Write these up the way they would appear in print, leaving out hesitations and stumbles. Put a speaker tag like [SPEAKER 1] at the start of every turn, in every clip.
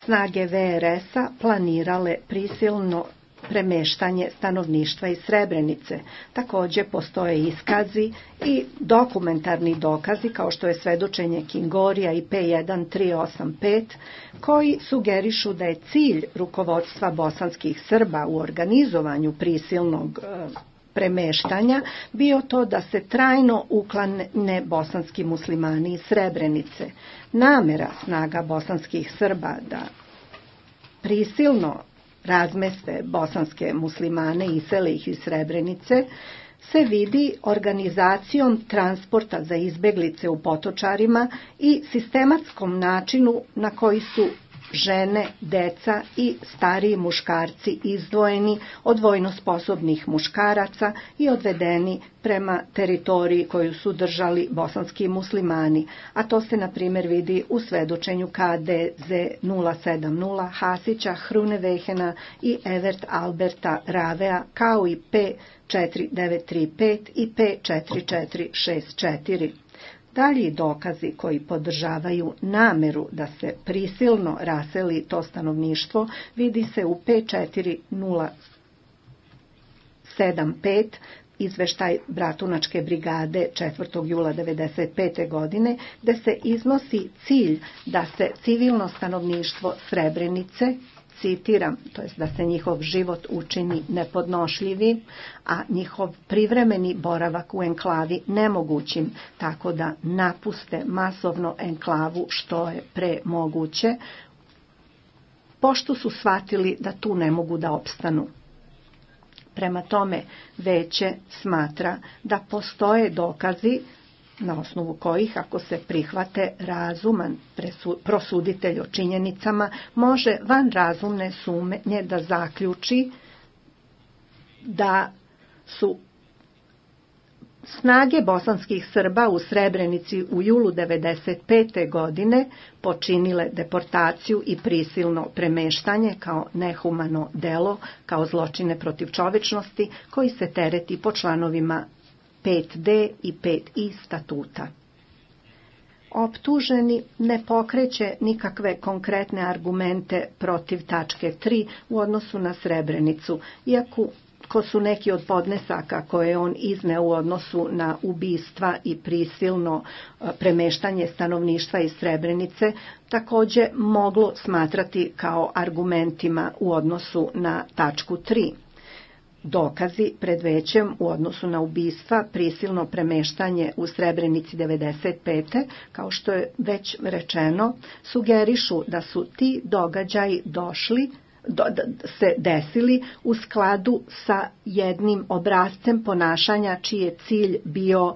[SPEAKER 1] snage VRS-a planirale prisilno premeštanje stanovništva iz Srebrenice. Također postoje iskazi i dokumentarni dokazi kao što je svedočenje Kingorija i P1385 koji sugerišu da je cilj rukovodstva bosanskih Srba u organizovanju prisilnog premeštanja bio to da se trajno uklane bosanski muslimani iz Srebrenice. Namera snaga bosanskih Srba da prisilno razmeste bosanske muslimane i isele ih iz Srebrenice se vidi organizacijom transporta za izbeglice u Potočarima i sistematskom načinu na koji su žene, deca i stariji muškarci izdvojeni od vojno sposobnih muškaraca i odvedeni prema teritoriji koju su držali bosanski muslimani, a to se na primjer vidi u svedočenju KDZ 070 Hasića, Hrunevehena i Evert Alberta Ravea, kao i P4935 i P4464. Dalji dokazi koji podržavaju nameru da se prisilno raseli to stanovništvo vidi se u P4075, izveštaj Bratunačke brigade 4. jula 1995. godine, gde se iznosi cilj da se civilno stanovništvo Srebrenice, citiram, to jest da se njihov život učini nepodnošljivim, a njihov privremeni boravak u enklavi nemogućim, tako da napuste masovno enklavu što je pre moguće, pošto su shvatili da tu ne mogu da opstanu. Prema tome, veće smatra da postoje dokazi na osnovu kojih, ako se prihvate, razuman prosuditelj o činjenicama može van razumne sumnje da zaključi da su snage bosanskih Srba u Srebrenici u julu 1995. godine počinile deportaciju i prisilno premeštanje kao nehumano delo, kao zločine protiv čovečnosti koji se tereti po članovima 5D i 5I statuta. Optuženi ne pokreće nikakve konkretne argumente protiv tačke 3 u odnosu na Srebrenicu, iako su neki od podnesaka koje on izneo u odnosu na ubistva i prisilno premeštanje stanovništva iz Srebrenice također moglo smatrati kao argumentima u odnosu na tačku 3. Dokazi pred većem u odnosu na ubistva, prisilno premeštanje u Srebrenici 1995. kao što je već rečeno, sugerišu da su ti događaji se desili u skladu sa jednim obrascem ponašanja čiji je cilj bio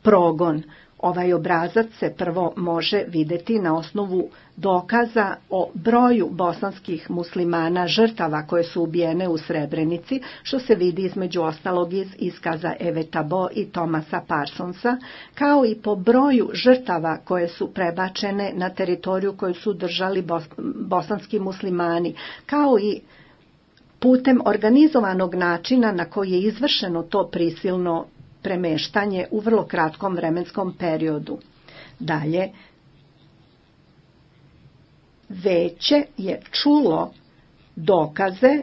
[SPEAKER 1] progon. Ovaj obrazac se prvo može vidjeti na osnovu dokaza o broju bosanskih muslimana žrtava koje su ubijene u Srebrenici, što se vidi između ostalog iz iskaza Eve Tabo i Thomasa Parsonsa, kao i po broju žrtava koje su prebačene na teritoriju koju su držali bosanski muslimani, kao i putem organizovanog načina na koji je izvršeno to prisilno premeštanje u vrlo kratkom vremenskom periodu. Dalje, veće je čulo dokaze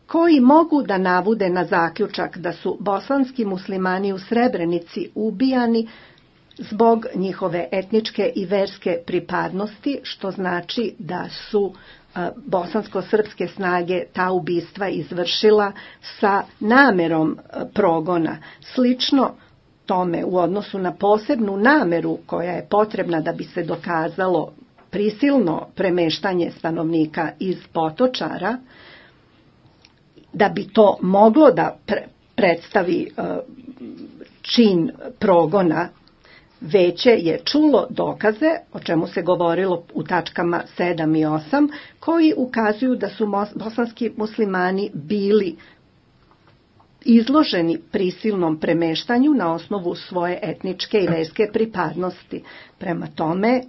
[SPEAKER 1] koji mogu da navude na zaključak da su bosanski muslimani u Srebrenici ubijani zbog njihove etničke i verske pripadnosti, što znači da su bosansko-srpske snage ta ubistva izvršila sa namerom progona. Slično tome u odnosu na posebnu nameru koja je potrebna da bi se dokazalo prisilno premeštanje stanovnika iz Potočara, da bi to moglo da predstavi čin progona, veće je čulo dokaze, o čemu se govorilo u tačkama 7 i 8, koji ukazuju da su bosanski muslimani bili izloženi prisilnom premeštanju na osnovu svoje etničke i verske pripadnosti. Prema tome,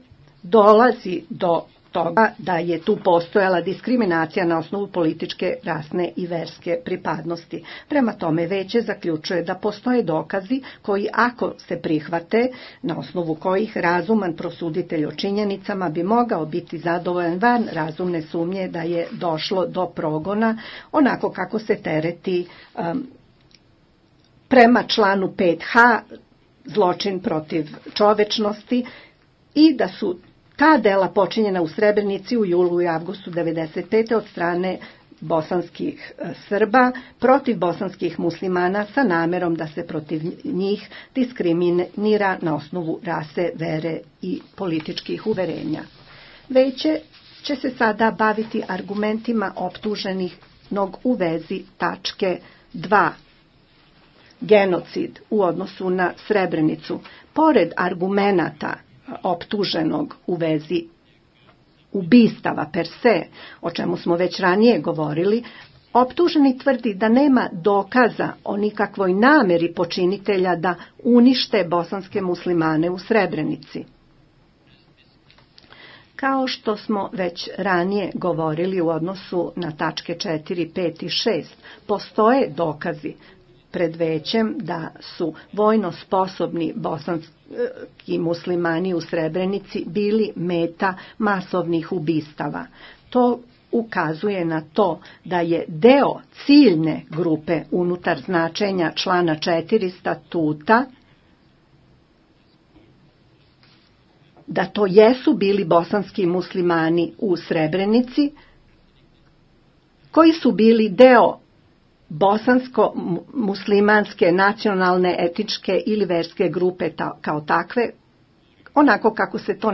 [SPEAKER 1] dolazi do toga da je tu postojala diskriminacija na osnovu političke, rasne i verske pripadnosti. Prema tome Veće zaključuje da postoje dokazi koji, ako se prihvate, na osnovu kojih razuman prosuditelj o činjenicama bi mogao biti zadovoljan van razumne sumnje da je došlo do progona onako kako se tereti prema članu 5H zločin protiv čovečnosti i da su ta dela počinjena u Srebrenici u julu i avgustu 1995. od strane bosanskih Srba protiv bosanskih muslimana sa namerom da se protiv njih diskriminira na osnovu rase, vere i političkih uverenja. Veće će se sada baviti argumentima optuženih u vezi tačke 2. Genocid u odnosu na Srebrenicu. Pored argumenata optuženog u vezi ubistava per se, o čemu smo već ranije govorili, optuženi tvrdi da nema dokaza o nikakvoj nameri počinitelja da unište bosanske muslimane u Srebrenici. Kao što smo već ranije govorili u odnosu na tačke 4, 5 i 6, postoje dokazi pred Većem da su vojno sposobni bosanski muslimani u Srebrenici bili meta masovnih ubistava. To ukazuje na to da je deo ciljne grupe unutar značenja člana 4 statuta, da to jesu bili bosanski muslimani u Srebrenici, koji su bili deo bosansko-muslimanske nacionalne, etničke ili verske grupe kao takve, onako kako se to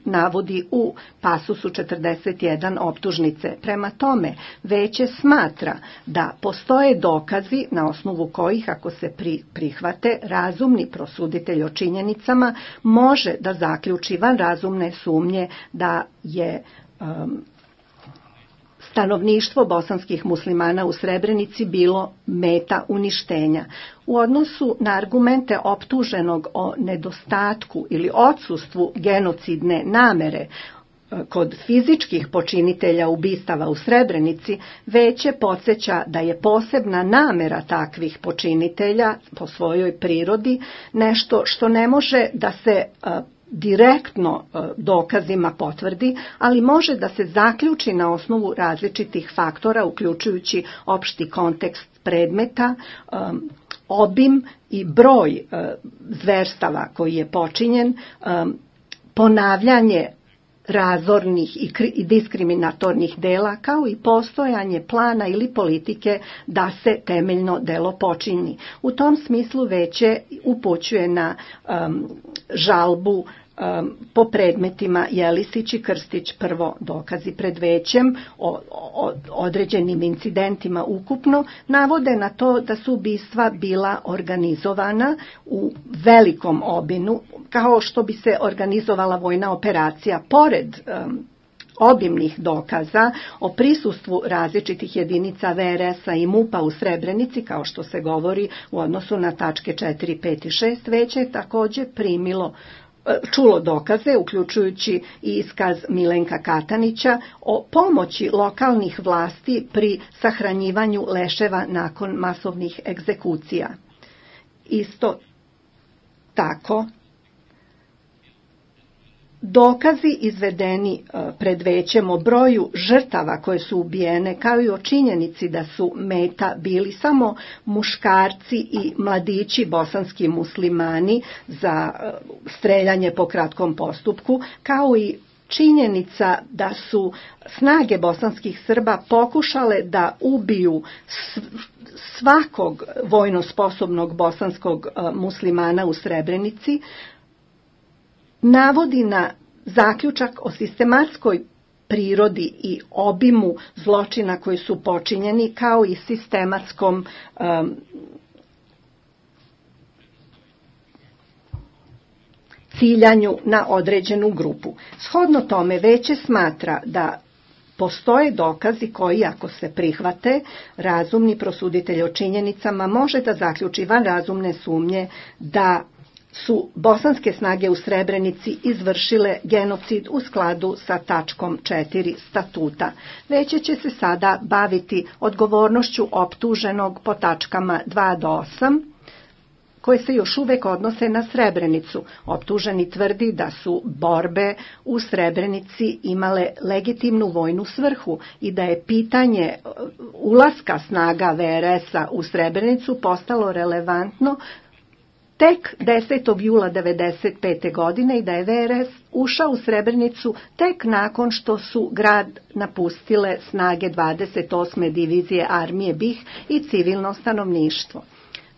[SPEAKER 1] navodi u pasusu 41 optužnice. Prema tome, Veće smatra da postoje dokazi na osnovu kojih, ako se prihvate, razumni prosuditelj o činjenicama može da zaključi van razumne sumnje da je stanovništvo bosanskih muslimana u Srebrenici bilo meta uništenja. U odnosu na argumente optuženog o nedostatku ili odsustvu genocidne namere kod fizičkih počinitelja ubistava u Srebrenici, Veće podsjeća da je posebna namera takvih počinitelja po svojoj prirodi nešto što ne može da se direktno dokazima potvrdi, ali može da se zaključi na osnovu različitih faktora, uključujući opšti kontekst predmeta, obim i broj zverstava koji je počinjen, ponavljanje razornih i diskriminatornih dela, kao i postojanje plana ili politike da se temeljno delo počini. U tom smislu Veće upućuje na žalbu po predmetima Jelisić i Krstić, prvo dokazi pred Većem o određenim incidentima ukupno, navode na to da su ubistva bila organizovana u velikom obimu, kao što bi se organizovala vojna operacija. Pored obimnih dokaza o prisustvu različitih jedinica VRS-a i MUP-a u Srebrenici, kao što se govori u odnosu na tačke 4, 5 i 6, Veće je također čulo dokaze, uključujući i iskaz Milenka Katanića o pomoći lokalnih vlasti pri sahranjivanju leševa nakon masovnih egzekucija. Isto tako, dokazi izvedeni pred Većem o broju žrtava koje su ubijene, kao i o činjenici da su meta bili samo muškarci i mladići bosanski muslimani za streljanje po kratkom postupku, kao i činjenica da su snage bosanskih Srba pokušale da ubiju svakog vojno sposobnog bosanskog muslimana u Srebrenici, navodi na zaključak o sistematskoj prirodi i obimu zločina koji su počinjeni, kao i sistematskom ciljanju na određenu grupu. Shodno tome, Veće smatra da postoje dokazi koji, ako se prihvate, razumni prosuditelj o činjenicama može da zaključi van razumne sumnje da su bosanske snage u Srebrenici izvršile genocid u skladu sa tačkom 4 statuta. Veće će se sada baviti odgovornošću optuženog po tačkama 2 do 8, koje se još uvek odnose na Srebrenicu. Optuženi tvrdi da su borbe u Srebrenici imale legitimnu vojnu svrhu i da je pitanje ulaska snaga VRS-a u Srebrenicu postalo relevantno tek 10. jula 1995. godine i da je VRS ušao u Srebrenicu tek nakon što su grad napustile snage 28. divizije armije BiH i civilno stanovništvo.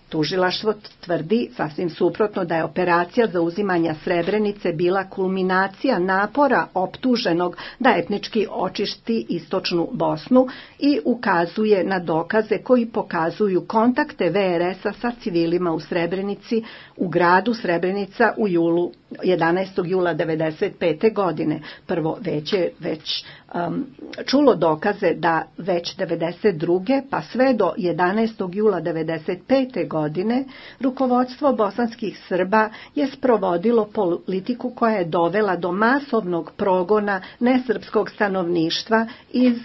[SPEAKER 1] Tužilaštvo tvrdi sasvim suprotno da je operacija zauzimanja Srebrenice bila kulminacija napora optuženog da etnički očisti istočnu Bosnu i ukazuje na dokaze koji pokazuju kontakte VRS-a sa civilima u Srebrenici u gradu Srebrenica u 11. jula 1995. godine. Prvo već čulo dokaze da već 1992. pa sve do 11. jula 1995. godine rukovodstvo bosanskih Srba je sprovodilo politiku koja je dovela do masovnog progona nesrpskog stanovništva iz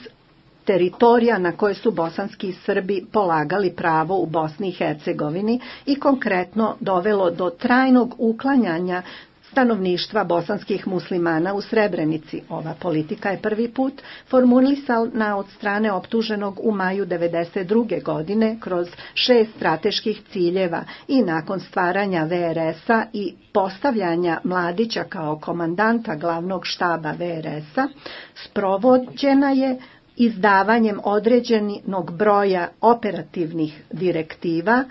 [SPEAKER 1] teritorija na koje su bosanski Srbi polagali pravo u Bosni i Hercegovini i konkretno dovelo do trajnog uklanjanja stanovništva bosanskih muslimana u Srebrenici. Ova politika je prvi put formulisana od strane optuženog u maju 1992. godine kroz 6 strateških ciljeva i nakon stvaranja VRS-a i postavljanja Mladića kao komandanta glavnog štaba VRS-a sprovođena je izdavanjem određenog broja operativnih direktiva